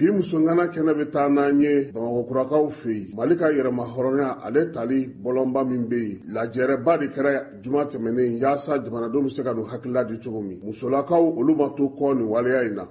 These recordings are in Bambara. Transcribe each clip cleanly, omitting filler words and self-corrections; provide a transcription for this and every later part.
Bi musongana kɛnɛ bɛ taa n'an ye Bamakɔkurakaw fɛ yen. Mali ka yɛrɛma hɔrɔnya ale tali bɔlɔnba min bɛ yen, lajɛrɛba de kɛra juma tɛmɛnen yaasa jamanadenw bɛ se ka n'u hakilila di cogo min. Musolakaw olu ma to kɔ nin waleya in na.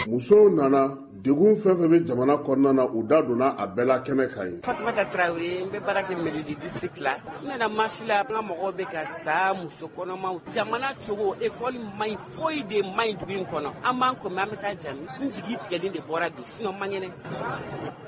Musow nana degun fɛn fɛn bɛ jamana kɔnɔna na, u da donna a bɛɛ la kɛnɛ kan ye. Fatumata Tarawele, n bɛ baara kɛ mairie du district la. N nana marche la, n ka mɔgɔw bɛ ka sa, muso kɔnɔmaw, jamana cogo, école man ɲi, foyi de man ɲi dugu in kɔnɔ. An b'an ko an bɛ taa jami. N jigi tigɛlen de bɔra bi, sinon man kɛnɛ.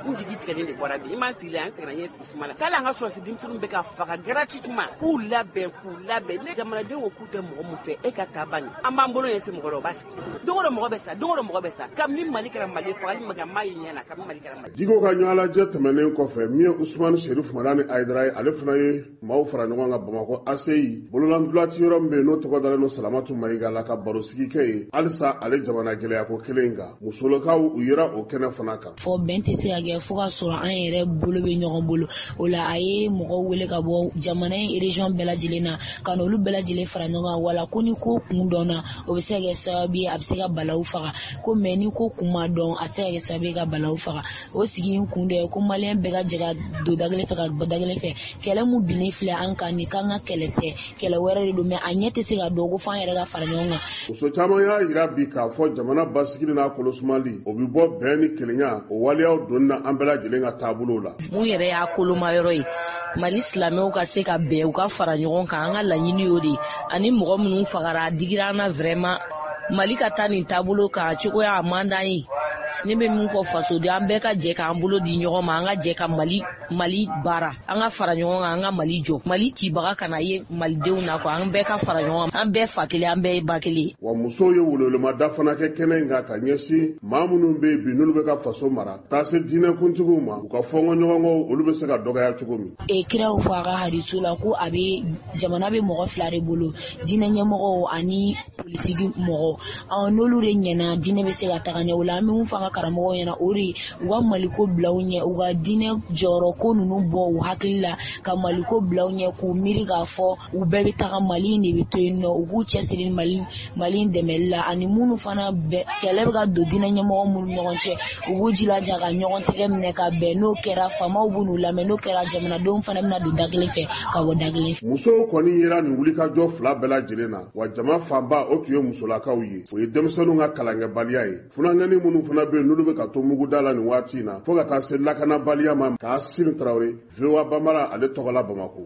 N jigi tigɛlen de bɔra bi. I m'an sigi an sɛgɛnna, n ye sigi suma la. K'ale an ka sɔrɔsi denmisɛnninw bɛ ka faga gratuitement, k'u labɛn, k'u labɛn. Ne jamanadenw ko k'u tɛ mɔgɔ mun fɛ, e ka taa ban. An b'an bolo ɲɛsin mɔgɔ la, o b'a sigi. Don o don mɔgɔ bɛ sa, don o don mɔgɔ bɛ sa. Kabini Mali kɛra Mali, fagali ma kɛ, n m'a ye ɲɛ na, kabini Mali kɛra Mali. Diko ka ɲɔgɔnlajɛ tɛmɛnen kɔfɛ, min ye Usumani Serif Madani Hayidara ye, ale fana ye maaw fara ɲɔgɔn kan Bamakɔ ACI bololandulati yɔrɔ min bɛ yen n'o tɔgɔ dalen don Salamatu Mayiga la, ka barosigi kɛ yen halisa ale jamana gɛlɛyako kelen in kan. Musolakaw u yera o kɛnɛ fana kan. Fɔ bɛn tɛ se ka kɛ fo ka sɔrɔ an yɛrɛ bolo bɛ ɲɔgɔn bolo. O la a ye mɔgɔw wele ka bɔ jamana in région bɛɛ lajɛlen na, ka n'olu bɛɛ lajɛlen fara ɲɔgɔn kan. Wala ko ni ko kun dɔnna, o bɛ se ka kɛ sababu ye a bɛ se ka balawu faga. Ko mɛ ni ko kun ma dɔn, a tɛ se ka kɛ sababu ye ka balawu faga. O sigi in kun dɔ ye ko maliyɛn bɛɛ ka jɛ ka don da kelen fɛ ka bɔ da kelen fɛ. Kɛlɛ mun binnen filɛ an kan nin, k'an ka kɛlɛ tɛ, kɛlɛ wɛrɛ de don, mɛ a ɲɛ tɛ se ka dɔn ko f'an yɛrɛ ka fara ɲɔgɔn kan. Muso caman y'a yira bi k'a fɔ jamana basigili n'a kolosumali, o bɛ bɔ bɛn ni kelenya o waleyaw donni na an bɛɛ lajɛlen ka taabolow la. Mun yɛrɛ y'a koloma yɔrɔ ye, Mali silamɛw ka se ka bɛn, u ka fara ɲɔgɔn kan, an ka laɲini y'o de ye. Ani mɔgɔ minnu fagara, a digira an na vraiment. Mali ka taa nin taabolo kan cogoya a man d'an ye. Ne bɛ min fɔ fasoden, an bɛɛ ka jɛ k'an bolo di ɲɔgɔn ma, an ka jɛ ka Mali baara, an ka fara ɲɔgɔn kan, an ka Mali jɔ. Mali cibaga kana ye malidenw na quoi, an bɛɛ ka fara ɲɔgɔn kan, an bɛɛ fa kelen, an bɛɛ ye ba kelen. Wa musow ye welewelema fana kɛ kɛnɛ in kan ka ɲɛsin maa minnu bɛ yen bi n'olu bɛ ka faso mara, taa se diinɛkuntigiw ma, u ka fɔnkɔɲɔgɔnkɔw olu bɛ se ka dɔgɔya cogo min. Kiraw fɔ a ka hadisu la ko a bɛ jamana bɛ mɔgɔ fila de bolo, diinɛ ɲɛmɔgɔw ani politiki mɔgɔ. N'olu de ɲɛna, diinɛ bɛ se ka taga ɲɛ. O la an bɛ mun fɔ an ka karamɔgɔw ɲɛna, o de u ka maliko bila u ɲɛ, u ka diinɛ jɔyɔrɔ ko ninnu bɔ u hakili la, ka maliko bila u ɲɛ, k'u miiri k'a fɔ u bɛɛ bɛ taga, Mali in de bɛ to yen nɔ, u k'u cɛsiri Mali in dɛmɛli la. Ani minnu fana bɛ kɛlɛ bɛ ka don diinɛ ɲɛmɔgɔ minnu ɲɔgɔn cɛ, u b'u jilaja ka ɲɔgɔn tɛgɛ minɛ ka bɛn. N'o kɛra, faamaw b'u n'u lamɛn, n'o kɛra, jamanadenw fana bɛna don da kelen fɛ ka bɔ da kelen fɛ. Musow kɔni yera nin wulikajɔ fila bɛɛ lajɛlen na, wa jama fanba o tun ye musolakaw ye. O ye denmisɛnninw ka kalankɛbaliya ye. Funankɛnin minnu fana bɛ yen n'olu bɛ ka to muguda la nin waati in na, fo ka taa se lakanabaliya ma. K'Asim Tarawele, VOA Bambara, ale tɔgɔ la Bamakɔ.